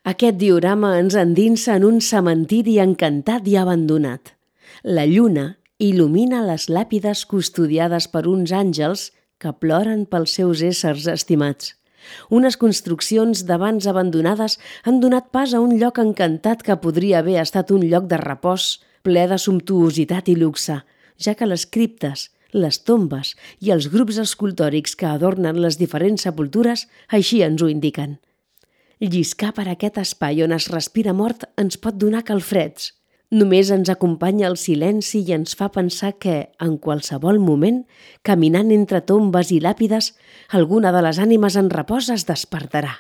Aquest diorama ens endinsa en un cementiri encantat i abandonat. La lluna il·lumina les làpides custodiades per uns àngels que ploren pels seus éssers estimats. Unes construccions d'abans abandonades han donat pas a un lloc encantat que podria haver estat un lloc de repòs ple de sumptuositat i luxe, ja que les criptes, les tombes i els grups escultòrics que adornen les diferents sepultures així ens ho indiquen. Lliscar per aquest espai on es respira mort ens pot donar calfreds. Només ens acompanya el silenci i ens fa pensar que, en qualsevol moment, caminant entre tombes i làpides, alguna de les ànimes en repòs es despertarà.